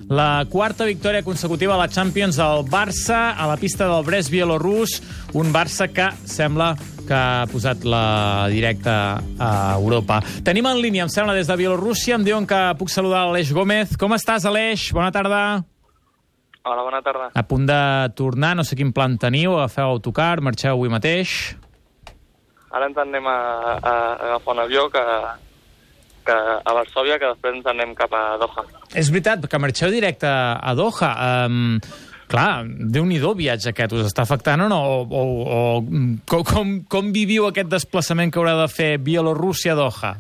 La quarta victòria consecutiva a la Champions del Barça a la pista del Brest bielorús, un Barça que sembla que ha posat la directa a Europa. Tenim en línia, em sembla, des de Bielorússia. Em diuen que puc saludar l'Aleix Gómez. Com estàs, Aleix? Bona tarda. Hola, bona tarda. A punt de tornar, no sé quin plan teniu, agafeu autocar, marxeu avui mateix? Ara ens anem a agafar un avió que a Varsòvia, que després ens anem cap a Doha. És veritat, que marxeu directe a Doha. Clar, Déu-n'hi-do viatge aquest, us està afectant o no? Com viviu aquest desplaçament que haurà de fer Bielorússia a Doha?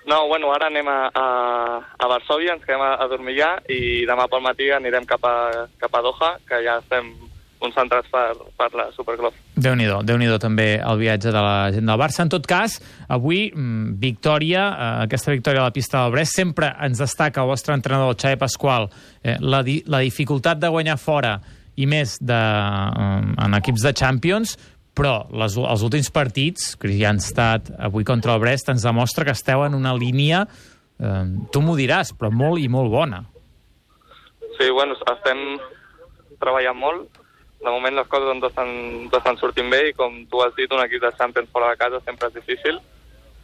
No, bueno, ara anem a Varsòvia, ens quedem a dormir allà i demà pel matí anirem cap a Doha, que ja estem concentrats per la Superclub. Déu-n'hi-do també el viatge de la gent del Barça. En tot cas, avui, victòria, aquesta victòria a la pista del Brest. Sempre ens destaca el vostre entrenador, Xavi Pasqual, la dificultat de guanyar fora i més en equips de Champions, però els últims partits, que ja han estat avui contra el Brest, ens demostra que esteu en una línia, tu m'ho diràs, però molt i molt bona. Sí, bueno, estem treballant molt. De moment les coses no estan sortint bé i, com tu has dit, un equip de Champions fora de casa sempre és difícil.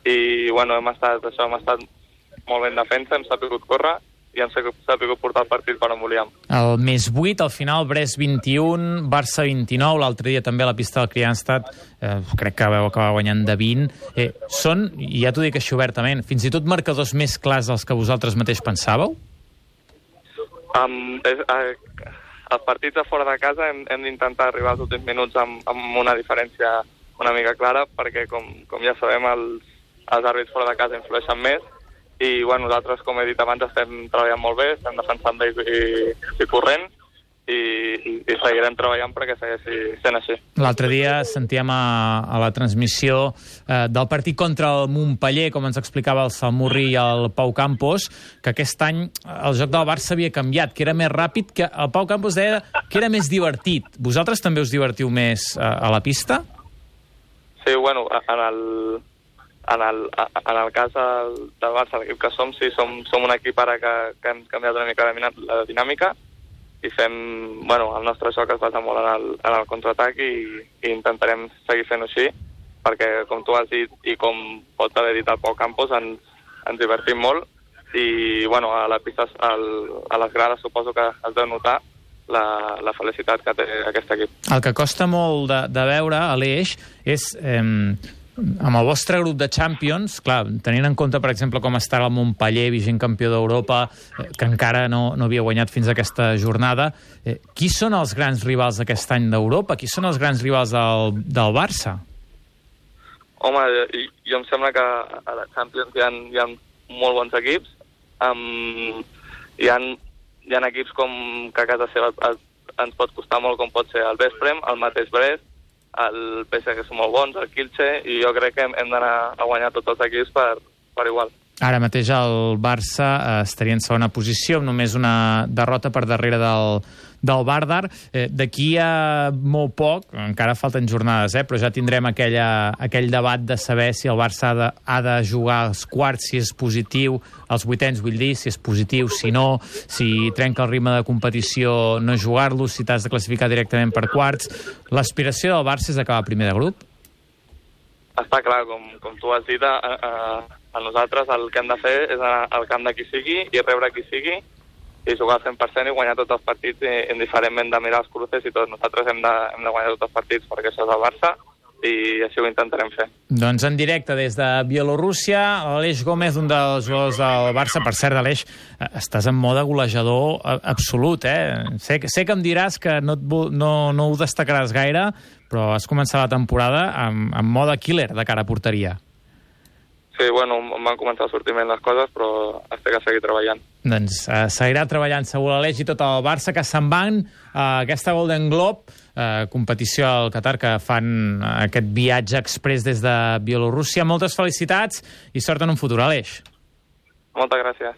I, bueno, hem estat molt ben defensa, hem sabut córrer i hem sabut portar el partit per on volíem. El més 8, al final, Brest 21, Barça 29, l'altre dia també a la pista del Kristianstad, crec que vau acabar guanyant de 20. Són, i ja t'ho dic així obertament, fins i tot marcadors més clars dels que vosaltres mateix pensàveu? Els partits de fora de casa hem d'intentar arribar als últims minuts amb una diferència una mica clara, perquè, com ja sabem, els àrbits fora de casa influeixen més i, bueno, nosaltres, com he dit abans, estem treballant molt bé, estem defensant bé i corrent i seguirem treballant perquè segueixi sent així. L'altre dia sentíem a la transmissió del partit contra el Montpeller, com ens explicava el Salmurri i el Pau Campos, que aquest any el joc del Barça havia canviat, que era més ràpid, que el Pau Campos deia que era més divertit. Vosaltres també us divertiu més a la pista? Sí, bueno, en el cas del Barça, l'equip que som, sí, som un equip ara que hem canviat una mica la dinàmica i fem, bueno, el nostre joc es basa molt en el contraatac i intentarem seguir fent-ho així, perquè, com tu has dit i com pot haver dit el Pau Campos, ens divertim molt i, bueno, a la pista, a les grades suposo que has de notar la felicitat que té aquest equip. El que costa molt de veure, Aleix, és amb el vostre grup de Champions, clar, tenint en compte, per exemple, com està el Montpeller, vigent campió d'Europa, que encara no havia guanyat fins a aquesta jornada, qui són els grans rivals d'aquest any d'Europa? Qui són els grans rivals del Barça? Home, jo em sembla que a la Champions hi ha molt bons equips. Hi ha equips que a casa seva ens pot costar molt, com pot ser el Vesprem, el mateix Brest, el PSG, que són molt bons, el Kielce, i jo crec que hem d'anar a guanyar tots els equips per igual. Ara mateix el Barça estaria en segona posició, amb només una derrota per darrere del Vardar. D'aquí a molt poc, encara falten jornades, però ja tindrem aquell debat de saber si el Barça ha de jugar als quarts, si és positiu, als vuitens, vull dir, si és positiu, si no, si trenca el ritme de competició no jugar-lo, si t'has de classificar directament per quarts. L'aspiració del Barça és acabar primer de grup? Està clar, com tu has dit, a nosaltres el que hem de fer és anar al camp de qui sigui i rebre qui sigui i jugar al 100% i guanyar tots els partits indiferentment de mirar els cruces i tot. Nosaltres hem de guanyar tots els partits perquè això és el Barça i així ho intentarem fer. Doncs en directe des de Bielorússia, Aleix Gómez, un dels jugadors del Barça. Per cert, Aleix, estàs en mode golejador absolut, Sé que em diràs que no ho destacaràs gaire, però has començat la temporada amb mode killer de cara a porteria. Sí, bueno, m'han començat a sortir més les coses, però has de seguir treballant. Doncs seguirà treballant segur l'Aleix i tot el Barça, que se'n van a aquesta Golden Globe, competició al Qatar, que fan aquest viatge express des de Bielorússia. Moltes felicitats i sort en un futur, Aleix. Moltes gràcies.